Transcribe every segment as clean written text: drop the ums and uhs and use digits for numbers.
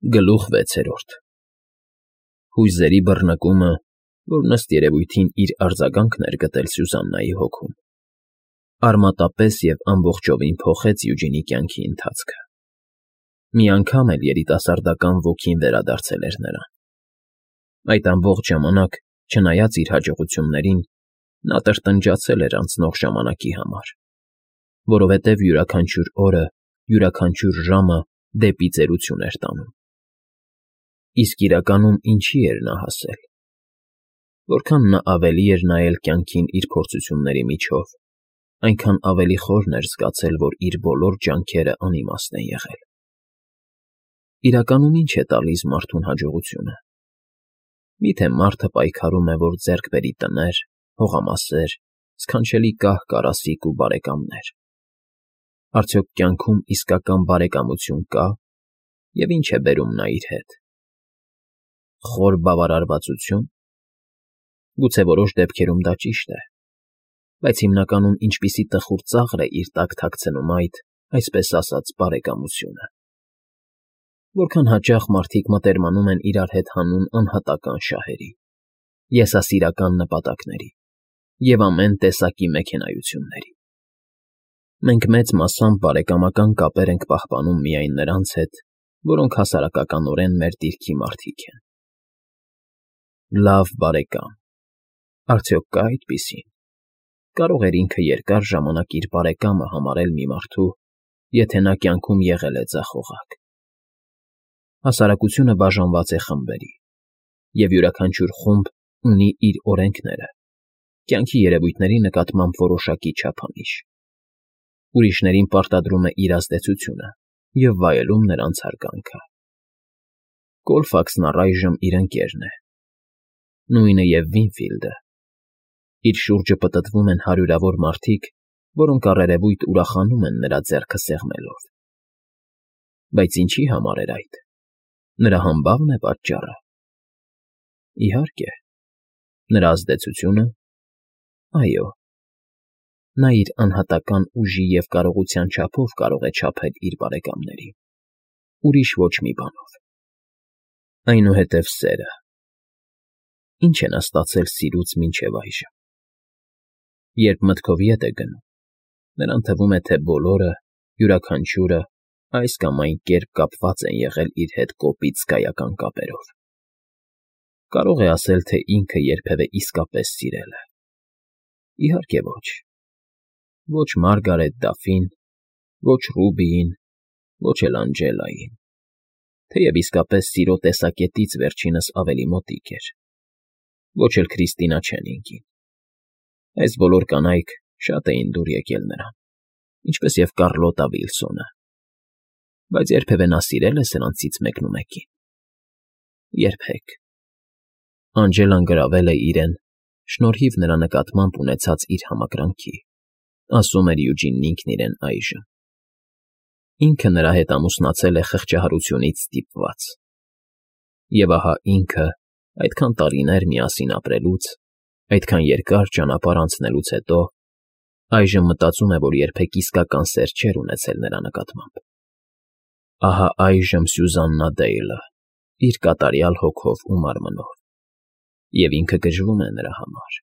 Գլուխ 6 Հույզերի բռնկումը, որն ըստ երևույթին իր արձագանքն էր գտել Սյուզաննայի հոգում, արմատապես և ամբողջովին փոխեց Յուջինի կյանքի ընթացքը. մի անգամ էլ երիտասարդական ոգին վերադարձել էր նրան. այդ ամբողջ ժամանակ, չնայած իր հաջողություններին, նա տրտնջացել էր անցնող ժամանակի համար, որովհետև յուրաքանչյուր օրը, յուրաքանչյուր ժամը դեպի ծերություն էր տանում։ Իսկ իրականում ինչի էր նա հասել։ Որքան նա ավելի էր նայել կյանքին իր փորձությունների միջով, այնքան ավելի խորն էր զգացել, որ իր բոլոր ջանքերը անիմաստ են եղել։ Իրականում ի՞նչ է տալիս մարդուն հաջողությունը։ Միթե մարդը պայքարում է, որ ձեռք բերի տներ, հողամասեր, սքանչելի կահ֊կարասիք ու բարեկամներ։ Արդյոք կյանքում իսկական բարեկամություն կա, և ի՞նչ է բերում նա իր հետ։ Խոր բավարարվածությո՞ւն։ Գուցե որոշ դեպքերում դա ճիշտ է, բայց հիմնականում ինչպիսի տխուր ծաղր է իր տակ թաքցնում այդ, այսպես ասած, բարեկամությունը։ Որքան հաճախ մարդիկ մտերմանում են իրար հետ հանուն անհատական շահերի, եսասիրական նպատակների և ամեն տեսակի մեքենայությունների։ Մենք մեծ մասամբ բարեկամական կապեր ենք պահպանում միայն նրանց հետ, որոնք հասարակականորեն մեր դիրքի մարդիկ են։ Լավ բարեկամ, արդյոք կա այդպիսին։ Կարող էր ինքը երկար ժամանակ իր բարեկամը համարել մի մարդու, եթե նա կյանքում եղել է ձախողակ։ Հասարակությունը բաժանված է խմբերի, և յուրաքանչյուր խումբ ունի իր օրենքները, կյանքի երևույթների նկատմամբ որոշակի չափանիշ։ Ուրիշներին պարտադրում է իր ազդեցությունը և վայելում նրանց հարգանքը։ Կոլֆաքսն առայժմ իր ընկերն է, նույնը և Վինֆիլդը։ Իր շուրջը պտտվում են հարյուրավոր մարդիկ, որոնք առերևույթ ուրախանում են նրա ձեռքը սեղմելով։ Բայց ինչի համար էր այդ։ Նրա համբավն է պատճառը։ Իհարկե, նրա ազդեցությունը։ Այո, նա իր անհատական ուժի և կարողության չափով կարող է չափել իր բարեկամներին, ուրիշ ոչ մի բանով։ Այնուհետև սերը։ Ինչ է նա ստացել սիրուց մինչև այժմ։ Երբ մտքով ետ է գնում, նրան թվում է, թե բոլորը, յուրաքանչյուրը այս կամ այն կերպ կապված են եղել իր հետ կոպիտ զգայական կապերով։ Կարող է ասել, թե ինքը երբևէ իսկապես սիրել է։ Իհարկե ոչ։ Ոչ Մարգարետ Դաֆին, ոչ Ռուբիին, ոչ էլ Անջելային, թեև իսկապես սիրո տեսակետից վերջինս ավելի մոտիկ էր, ոչ էլ Քրիստինա Չենինգին։ Այս բոլոր կանայք շատ էին դուր եկել նրան, ինչպես և Կառլոտա Վիլսոնը։ Բայց երբևէ նա սիրել է սրանցից մեկնումեկին։ Երբեք։ Անջելան գրավել է իրեն, շնորհիվ նրա նկատմամբ ունեցած իր համակրանքի, ասում էր Յուջինն ինքն իրեն այժմ։ Ինքը նրա հետ ամուսնացել է խղճահարությունից ստիպված։ Եվ ահա ինքը, այդքան տարիներ միասին ապրելուց, այդքան երկար ճանապարհ անցնելուց հետո, այժմ մտածում է, որ երբեք իսկական սեր չէր ունեցել նրա նկատմամբ։ Ահա այժմ Սյուզաննա Դեյլը, իր կատարյալ հոգով ու մարմնով, և ինքը գժվում է նրա համար։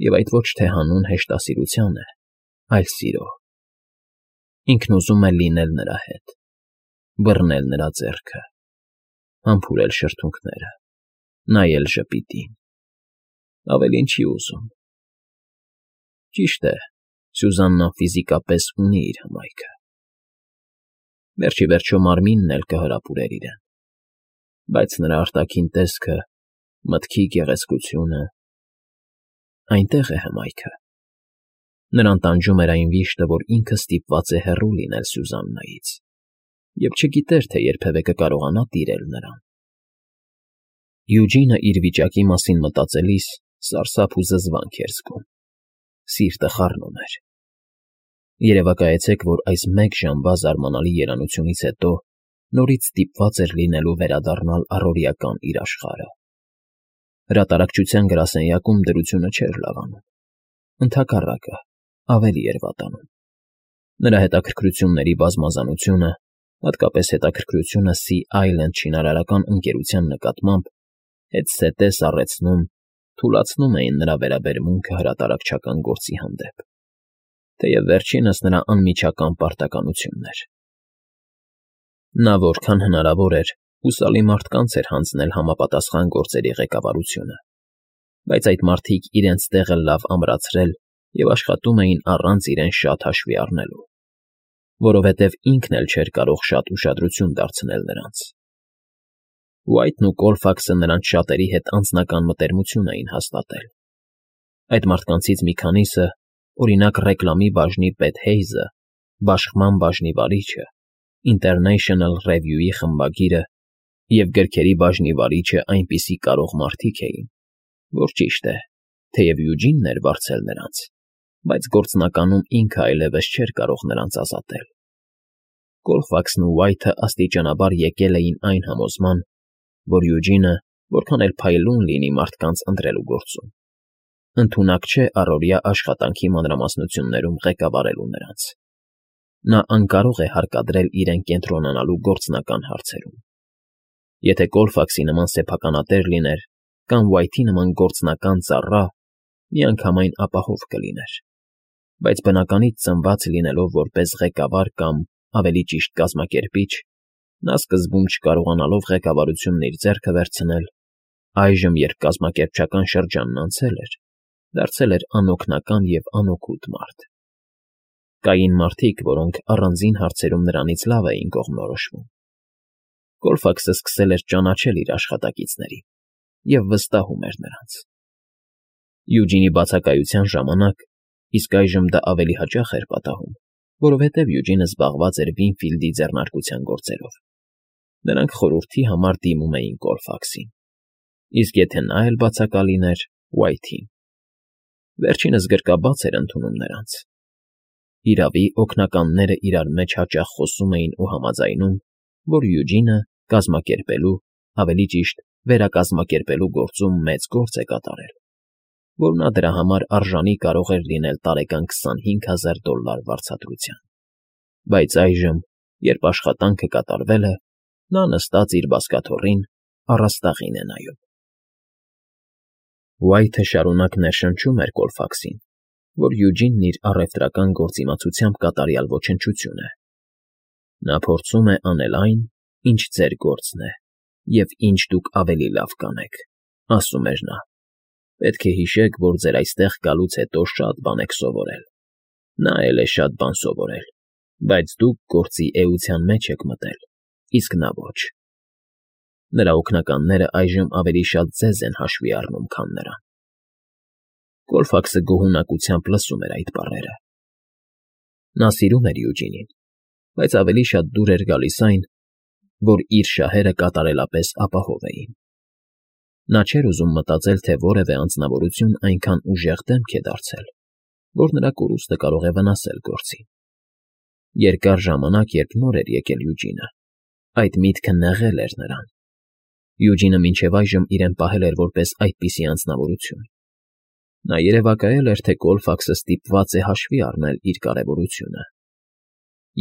Եվ այդ ոչ թե հանուն հեշտասիրության է, այլ սիրո։ Ինքն ուզում է լինել նրա հետ, բռնել նրա ձեռքը, համբուրել շրթունքները, նայել ժպիտին։ Ավելին չի ուզում։ Ճիշտ է, Սյուզաննան ֆիզիկապես ունի իր հմայքը։ Վերջ ի վերջո մարմինն էլ կհրապուրեր իրեն, բայց նրա արտաքին տեսքը, մտքի գեղեցկությունը… Այնտեղ է հմայքը։ Նրան տանջում էր այն վիշտը, որ ինքը ստիպված է հեռու լինել Սյուզաննայից, և չգիտեր, թե երբևէ կկարողանա տիրել նրան։ Յուջինը իր վիճակի մասին մտածելիս սարսափ ու զզվանք էր զգում։ Սիրտը խառնում էր։ Երևակայեցեք, որ այս մեկ ժամվա զարմանալի երանությունից հետո նորից ստիպված էր լինելու վերադառնալ առօրեական իր աշխարհը։ Հրատարակչության գրասենյակում դրությունը չէր լավանում։ Ընդհակառակը, ավելի էր վատանում։ Նրա հետաքրքրությունների բազմազանությունը, հատկապես հետաքրքրությունը Sea Island շինարարական ընկերության նկատմամբ հետզհետե սառեցնում, թուլացնում էին նրա վերաբերմունքը հրատարակչական գործի հանդեպ, թեև վերջինս նրա անմիջական պարտականությունն էր։ Նա որքան հնարավոր էր հուսալի մարդկանց էր հանձնել համապատասխան գործերի ղեկավարությունը, բայց այդ մարդիկ իրենց տեղը լավ ամրացրել և աշխատում էին առանց իրեն շատ հաշվի առնելու, որովհետև ինքն էլ չէր կարող շատ ուշադրություն դարձնել նրանց։ Ուայթն ու Կոլֆաքսը նրանց շատերի հետ անձնական մտերմություն էին հաստատել։ Այդ մարդկանցից մի քանիսը, օրինակ ռեկլամի բաժնի պետ Հեյզը, բաշխման բաժնի վարիչը, International Review-ի խմբագիրը և գրքերի բաժնի վարիչը այնպիսի կարող մարդիկ էին, որ ճիշտ է, թեև Յուջինն էր վարձել նրանց, բայց գործնականում ինքը այլևս չէր կարող նրանց ազատել։ Կոլֆաքսն ու Ուայթը աստիճանաբար եկել էին այն համոզման, որ Յուջինը, որքան էլ փայլուն լինի մարդկանց ընտրելու գործում, ընդունակ չէ առօրյա աշխատանքի մանրամասնություններում ղեկավարելու նրանց։ Նա անկարող է հարկադրել իրեն կենտրոնանալու գործնական հարցերում։ Եթե Կոլֆաքսի նման սեփականատեր լիներ կամ Ուայթի նման գործնական ծառա, միանգամայն ապահով կլիներ, բայց բնականից ծնված լինելով որպես ղեկավար կամ, ավելի ճիշտ, կազմակերպիչ, նա սկզբում չկարողանալով ղեկավարությունն իր ձեռքը վերցնել, այժմ, երբ կազմակերպչական շրջանն անցել էր, դարձել էր անօգնական և անօգուտ մարդ։ Կային մարդիկ, որոնք առանձին հարցերում նրանից լավ էին կողմնորոշվում։ Կոլֆաքսը սկսել էր ճանաչել իր աշխատակիցներին և վստահում էր նրանց։ Յուջինի բացակայության ժամանակ, իսկ այժմ դա ավելի հաճախ էր պատահում, որովհետև Յուջինը զբաղված էր Վինֆիլդի ձեռնարկության գործերով, նրանք խորհրդի համար դիմում էին Կոլֆաքսին, իսկ եթե նա էլ բացակա լիներ, Ուայթին։ Վերջինս գրկաբաց էր ընդունում նրանց։ Իրավի, օգնականները իրար մեջ հաճախ խոսում էին ու համաձայնում, որ Յուջինը կազմակերպելու, ավելի ճիշտ, վերակազմակերպելու գործում մեծ գործ է կատարել, որ նա դրա համար արժանի կարող էր լինել տարեկան $25,000 վարձատրության։ Բայց այժմ, երբ աշխատանքը կատարվել է, նա նստած իր բազկաթոռին առաստաղին է նայում։ Ուայթը շարունակ ներշնչում էր Կոլֆաքսին, որ Յուջինն իր առևտրական գործիմացությամբ կատարյալ ոչնչություն է։ Նա փորձում է անել այն, ինչ ձեր գործն է, և ինչ դուք ավելի լավ կանեք, ասում էր նա։ Պետք է հիշեք, որ ձեր այստեղ գալուց հետո շատ բան եք սովորել։ Նա էլ է շատ բան սովորել, բայց դուք գործի էության մեջ եք մտել, իսկ նա ոչ։ Նրա օգնականները այժմ ավելի շատ ձեզ են հաշվի առնում, քան նրան։ Կոլֆաքսը գոհունակությամբ լսում էր այդ բառերը։ Նա սիրում էր Յուջինին, բայց ավելի շատ դուր էր գալիս այն, որ իր շահերը կատարելապես ապահով էին։ Նա չէր ուզում մտածել, թե որևէ անձնավորություն այնքան ուժեղ դեմք է դարձել, որ նրա կորուստը կարող է վնասել գործին։ Երկար ժամանակ, երբ նոր էր եկել Յուջինը, այդ միտքը նեղել էր նրան։ Յուջինը մինչև այժմ իրեն պահել էր որպես այդպիսի անձնավորություն։ Նա երևակայել էր, թե Կոլֆաքսը ստիպված է հաշվի առնել իր կարևորությունը,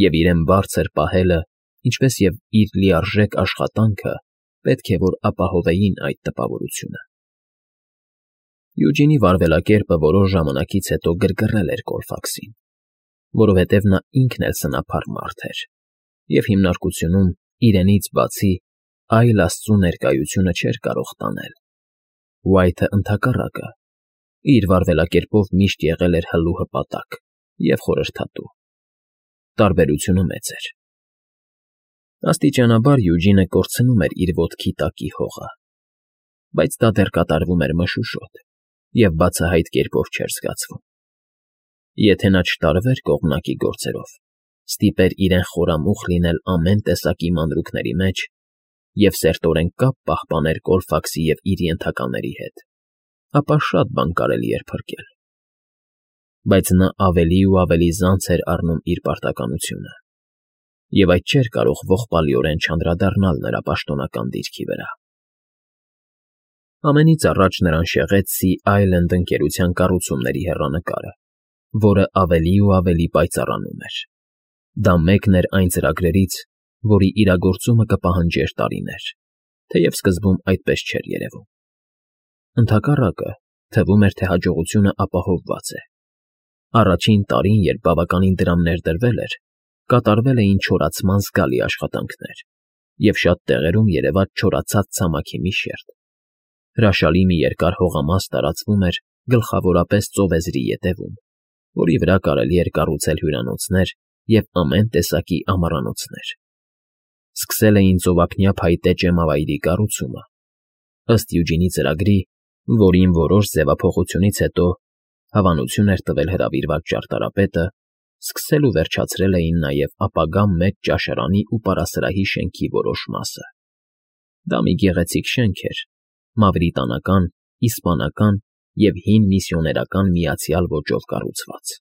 և իրեն բարձր պահելը, ինչպես և իր լիարժեք աշխատանքը պետք է որ ապահովեին այդ տպավորությունը։ Յուջինի վարվելակերպը որոշ ժամանակից հետո գրգռել էր Կոլֆաքսին, որովհետև նա ինքն էլ սնափառ մարդ էր, և հիմնարկությունում իրենից բացի այլ աստծու ներկայությունը չէր կարող տանել։ Ուայթը ընդհակառակը, իր վարվելակերպով միշտ եղել էր հլու հպատակ և խորհրդատու։ Տարբերությունը մեծ էր։ Աստիճանաբար Յուջինը կորցնում էր իր ոտքի տակի հողը, բայց դա դեռ կատարվում էր մշուշոտ և բացահայտ կերպով չէր զգացվում։ Եթե նա չտարվեր կողմնակի գործերով, ստիպեր իրեն խորամուխ լինել ամեն տեսակի մանրուքների մեջ և սերտորեն կապ պահպաներ Կոլֆաքսի և իր ենթակաների հետ, ապա շատ բան կարելի էր փրկել։ Բայց նա ավելի ու ավելի զանց էր առնում իր պարտականությունը, և այդ չէր կարող ողբալիորեն չանդրադառնալ նրա պաշտոնական դիրքի վրա։ Ամենից առաջ նրան շեղեց Sea Island ընկերության կառուցումների հեռանկարը, որը ավելի ու ավելի պայծառանում էր։ Դա մեկն էր այն ծրագրերից, որի իրագործումը կպահանջեր տարիներ, թեև սկզբում այդպես չէր երևում։ Ընդհակառակը, թվում էր, թե հաջողությունը ապահովված է։ Առաջին տարին, երբ բավականին դրամներ դրվել էր, կատարվել էին չորացման զգալի աշխատանքներ, և շատ տեղերում երևաց չորացած ցամաքի մի շերտ։ Հրաշալի մի երկար հողամաս տարածվում էր գլխավորապես ծովեզրի ետևում, որի վրա կարելի էր կառուցել հյուրանոցներ և ամեն տեսակի ամառանոցներ։ Սկսել էին ծովափնյա փայտե ճեմավայրի կառուցումը։ Ըստ Յուջինի ծրագրի, որին որոշ ձևափոխությունից հետո հավանություն էր տվել հրավիրված ճարտարապետը, սկսել ու վերջացրել էին նաև ապագա մեծ ճաշարանի ու պարասրահի շենքի որոշ մասը։ Դա մի գեղեցիկ շենք էր, մավրիտանական, իսպանական և հին միսիոներական միացյալ ոճով կառուցված։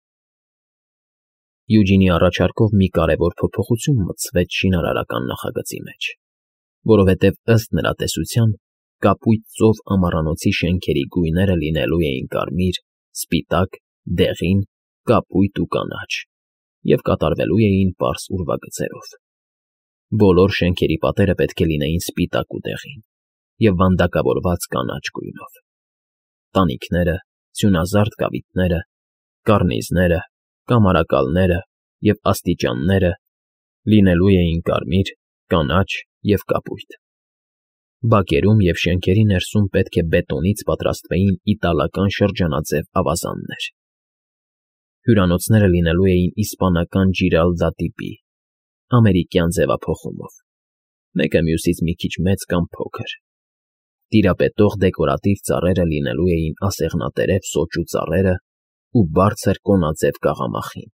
Յուջինի առաջարկով մի կարևոր փոփոխություն մտցվեց շինարարական նախագծի մեջ, որովհետև ըստ նրա տեսության կապույտ ծով ամառանոցի շենքերի գույները լինելու էին կարմիր, սպիտակ, դեղին, կապույտ ու կանաչ և կատարվելու էին պարզ ուրվագծերով։ Բոլոր շենքերի պատերը պետք է լինեին սպիտակ ու դեղին և վանդակավորված կանաչ գույնով։ Տանիքները, սյունազարդ կավիտները, կառնիզները, կամարակալները և աստիճանները լինելու էին կարմիր, կանաչ և կապույտ։ Բակերում և շենքերի ներսում պետք է բետոնից պատրաստվեին իտալական շրջանաձև ավազաններ։ Հյուրանոցները լինելու էին իսպանական ջիրալդա տիպի, ամերիկյան ձևափոխումով, մեկը մյուսից մի քիչ մեծ կամ փոքր։ Տիրապետող դեկորատիվ ծառերը լինելու էին ասեղնատերև սոճու ծառերը ու բարձր կոնաձև կաղամախին։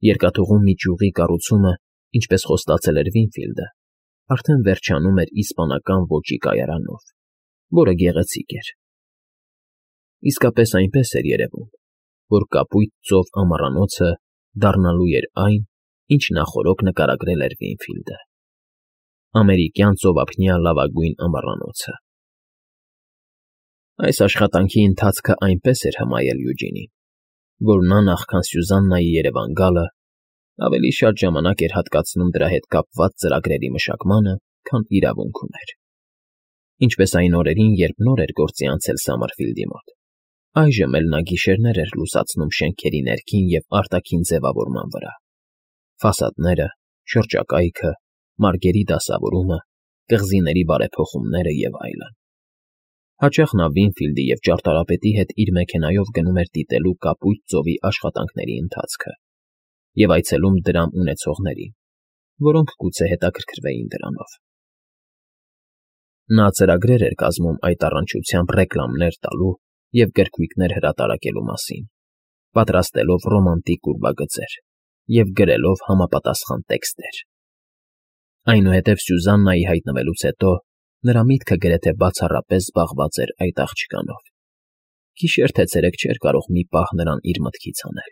Երկաթուղում մի ճյուղի կառուցումը, ինչպես խոստացել էր Վինֆիլդը, արդեն վերջանում էր իսպանական ոճի կայարանով, որը գեղեցիկ էր։ Իսկապես այնպես էր երևում, որ կապույտ ծով ամառանոցը դառնալու էր այն, ինչ նախօրոք նկարագրել էր Վինֆիլդը։ Ամերիկյան ծովափնյա լավագույն ամառանոցը։ Այս աշխատանքի ընթացքը այնպես էր հմայել Յուջինին, որ նա նախքան Սյուզաննայի երևան գալը ավելի շատ ժամանակ էր հատկացնում դրա հետ կապված ծրագրերի մշակմանը, քան իրավունք ուներ։ Ինչպես այն օրերին, երբ նոր էր գործի անցել Սամարֆիլդի մոտ, այժմ էլ նա գիշերներ էր լուսացնում շենքերի ներքին և արտաքին ձևավորման վրա։ Ֆասադները, շրջակայքը, մարգերի դասավորումը, կղզիների բարեփոխումները և այլն։ Հաճախ նա Վինֆիլդի և ճարտարապետի հետ իր մեքենայով գնում էր դիտելու կապույտ ծովի աշխատանքների ընթացքը և այցելում դրամ ունեցողներին, որոնք գուցե հետաքրքրվեին դրանով։ Նա ծրագրեր էր կազմում այդ առնչությամբ ռեկլամներ տալու և գրքույկներ հրատարակելու մասին, պատրաստելով ռոմանտիկ ուրվագծեր և գրելով համապատասխան տեքստեր։ Այնուհետև Սյուզաննայի հայտնվելուց հետո նրա միտքը գրեթե բացառապես զբաղված էր այդ աղջկանով։ Գիշեր թե ցերեկ չէր կարող մի պահ նրան իր մտքից հանել։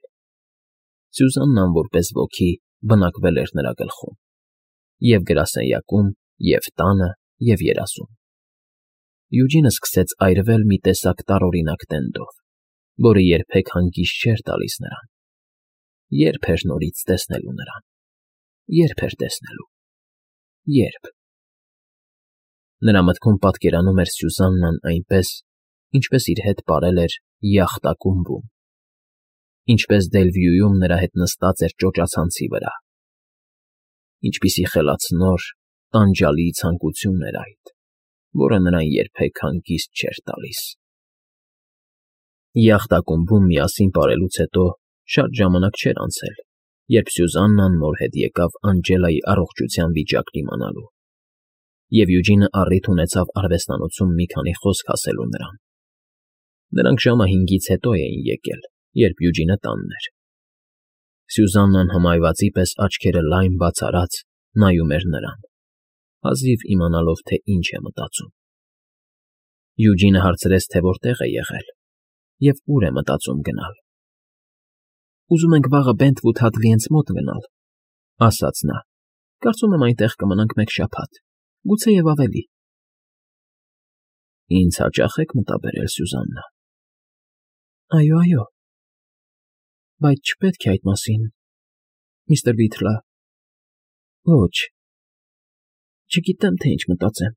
Սյուզաննան որպես ոգի բնակվել էր նրա գլխում, և գրասենյակում, և տանը, և երազում։ Յուջինը սկսեց այրվել մի տեսակ տարօրինակ տենդով, որը երբեք հանգիստ չէր տալիս նրան։ Ե՞րբ էր նորից տեսնելու նրան։ Ե՞րբ էր տեսնելու։ Ե՞րբ։ Նրա մտքում պատկերանում էր Սյուզաննան այնպես, ինչպես իր հետ պարել էր յախտ ակումբում, ինչպես Դելվյուում նրա հետ նստած էր ճոճացանցի վրա։ Ինչպիսի խելացնոր, տանջալի ցանկություն էր այդ, որը նրան երբեք հանգիստ չէր տալիս։ Յախտ ակումբում միասին պարելուց հետո շատ ժամանակ չէր անցել, երբ Սյուզաննան նոր հետ եկավ Անջելայի առողջության վիճակն իմանալու, և Յուջինը առիթ ունեցավ արվեստանոցում մի քանի խոսք ասելու նրան։ Նրանք ժամը 5-ից հետո էին եկել, երբ Յուջինը տանն էր։ Սյուզաննան հմայվածի պես աչքերը լայն բաց արած նայում էր նրան, հազիվ իմանալով, թե ինչ է մտածում։ Յուջինը հարցրեց, թե որտեղ է եղել և ուր է մտածում գնալ։ «Ուզում ենք վաղը Բենթվուդ Հադլիենց մոտ գնալ», ֊ ասաց նա։ «Կարծում եմ այնտեղ կմնանք մեկ շաբաթ, գուցեև ավելի»։ «Ինձ հաճա՞խ եք մտաբերել, Սյուզաննա»։ «Այո, այո, բայց չպետք է այդ մասին, միստր Վիթլա։ Ոչ, Չգիտեմ, թե ինչ մտածեմ։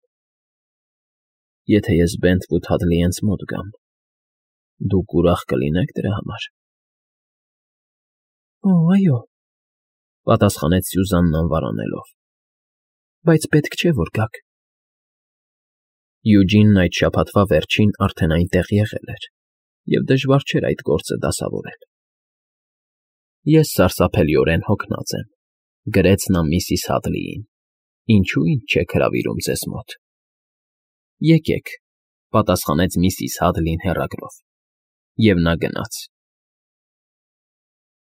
Եթե ես Բենթվուդ Հադլիենց մոտ գամ, դուք ուրախ կլինե՞ք դրա համար։ Օ, այո, պատասխանեց Սյուզանն անվարանելով, բայց պետք չէ, որ գաք։ Յուջինն այդ շաբաթվա վերջին արդեն այնտեղ եղել էր և դժվար չէր այդ գործը դասավորել։ Ես սարսափելիորեն հոգնած եմ, գրեց նա միսիս Հադլիին, ինչու ինձ չեք հրավիրում ձեզ մոտ։ Եկեք, պատասխանեց միսիս Հադլին հեռագրով, և նա գնաց։